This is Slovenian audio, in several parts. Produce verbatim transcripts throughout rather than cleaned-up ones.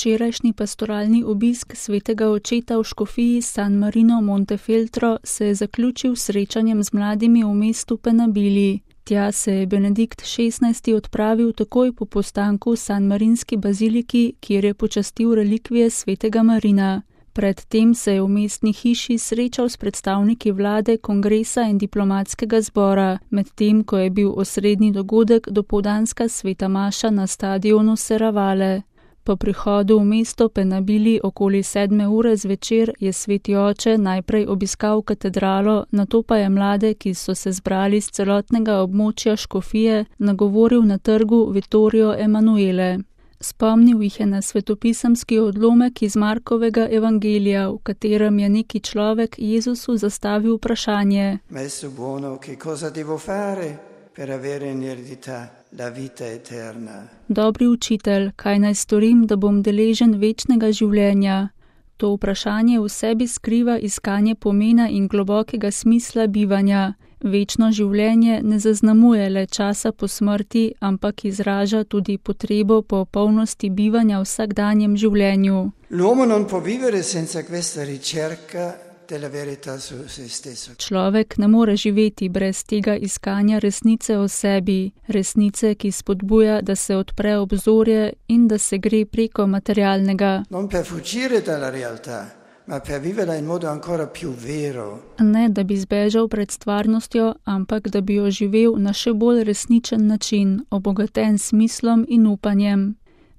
Včerajšnji pastoralni obisk svetega očeta v škofiji San Marino Montefeltro se je zaključil s srečanjem z mladimi v mestu Penabili. Tja se je Benedikt šestnajsti odpravil takoj po postanku v San Marinski baziliki, kjer je počastil relikvije svetega Marina. Predtem se je v mestni hiši srečal s predstavniki vlade, kongresa in diplomatskega zbora, medtem ko je bil osrednji dogodek dopoldanska sveta maša na stadionu Serravalle. Po prihodu v mesto Penabili okoli sedme ure zvečer je sveti oče najprej obiskal katedralo, nato pa je mlade, ki so se zbrali z celotnega območja škofije, nagovoril na trgu Vittorio Emanuele. Spomnil jih je na svetopisemski odlomek iz Markovega evangelija, v katerem je neki človek Jezusu zastavil vprašanje: Maestro buono, che cosa devo fare per avere in eredità la vita eterna? Dobri učitelj, kaj naj storim, da bom deležen večnega življenja? To vprašanje v sebi skriva iskanje pomena in globokega smisla bivanja. Večno življenje ne zaznamuje le časa po smrti, ampak izraža tudi potrebo po polnosti bivanja v vsakdanjem življenju. L'uomo non può vivere senza questa ricerca della verità su se stesso. Človek ne more živeti brez tega iskanja resnice o sebi, resnice, ki spodbuja, da se odpre obzorje in da se gre preko materialnega. Non per fuggire dalla realtà, ma per viverla in modo ancora più vero. Ne, da bi zbežal pred stvarnostjo, ampak da bi jo živel na še bolj resničen način, obogaten s smislom in upanjem.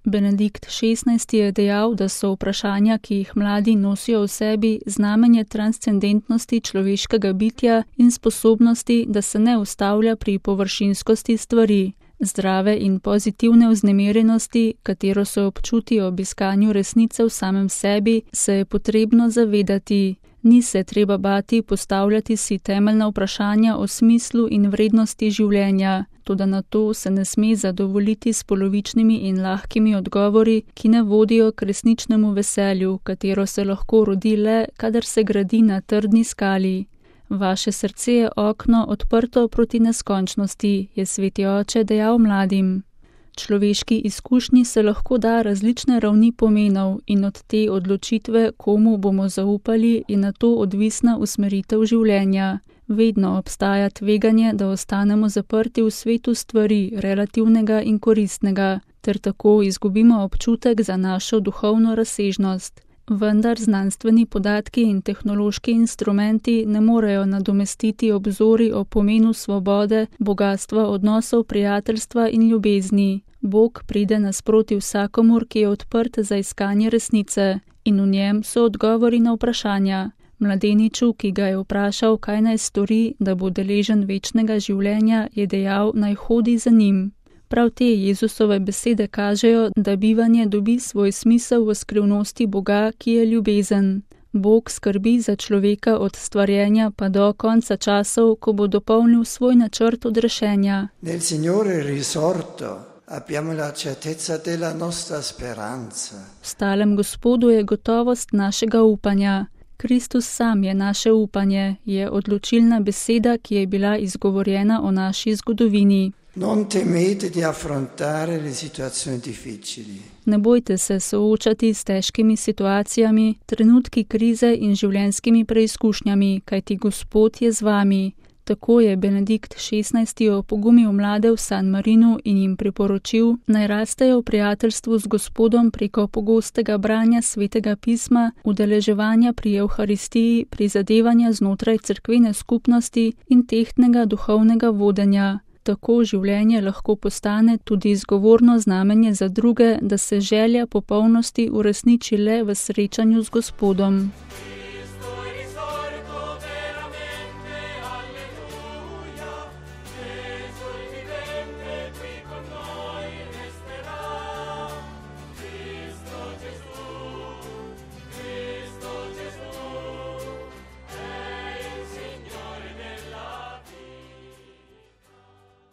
Benedikt šestnajsti je dejal, da so vprašanja, ki jih mladi nosijo v sebi, znamenje transcendentnosti človeškega bitja in sposobnosti, da se ne ustavlja pri površinskosti stvari. Zdrave in pozitivne vznemirjenosti, katero se občuti ob iskanju resnice v samem sebi, se je potrebno zavedati. Ni se treba bati postavljati si temeljna vprašanja o smislu in vrednosti življenja, toda na to se ne sme zadovoljiti s polovičnimi in lahkimi odgovori, ki ne vodijo k resničnemu veselju, katero se lahko rodi le, kadar se gradi na trdni skali. Vaše srce je okno odprto proti neskončnosti, je sveti oče dejal mladim. Človeški izkušnji se lahko da različne ravni pomenov in od te odločitve, komu bomo zaupali, je na to odvisna usmeritev življenja. Vedno obstaja tveganje, da ostanemo zaprti v svetu stvari, relativnega in koristnega, ter tako izgubimo občutek za našo duhovno razsežnost. Vendar znanstveni podatki in tehnološki instrumenti ne morejo nadomestiti obzori o pomenu svobode, bogatstva odnosov, prijateljstva in ljubezni. Bog pride nasproti vsakomur, ki je odprt za iskanje resnice, in v njem so odgovori na vprašanja. Mladeniču, ki ga je vprašal, kaj naj stori, da bo deležen večnega življenja, je dejal, naj hodi za njim. Prav te Jezusove besede kažejo, da bivanje dobi svoj smisel v skrivnosti Boga, ki je ljubezen. Bog skrbi za človeka od stvarjenja pa do konca časov, ko bo dopolnil svoj načrt odrešenja. Nel Signore risorto abbiamo la certezza della nostra speranza. V stalem Gospodu je gotovost našega upanja. Kristus sam je naše upanje, je odločilna beseda, ki je bila izgovorjena o naši zgodovini. Non temete di affrontare le situazioni difficili. Ne bojte se soočati s težkimi situacijami, trenutki krize in življenjskimi preizkušnjami, kajti Gospod je z vami. Tako je Benedikt šestnajsti opogumil mlade v San Marinu in jim priporočil, naj rastejo v prijateljstvu z Gospodom preko pogostega branja svetega pisma, udeleževanja pri Evharistiji, prizadevanja znotraj cerkvene skupnosti in tehtnega duhovnega vodenja. Tako življenje lahko postane tudi izgovorno znamenje za druge, da se želja popolnosti uresniči le v srečanju z Gospodom.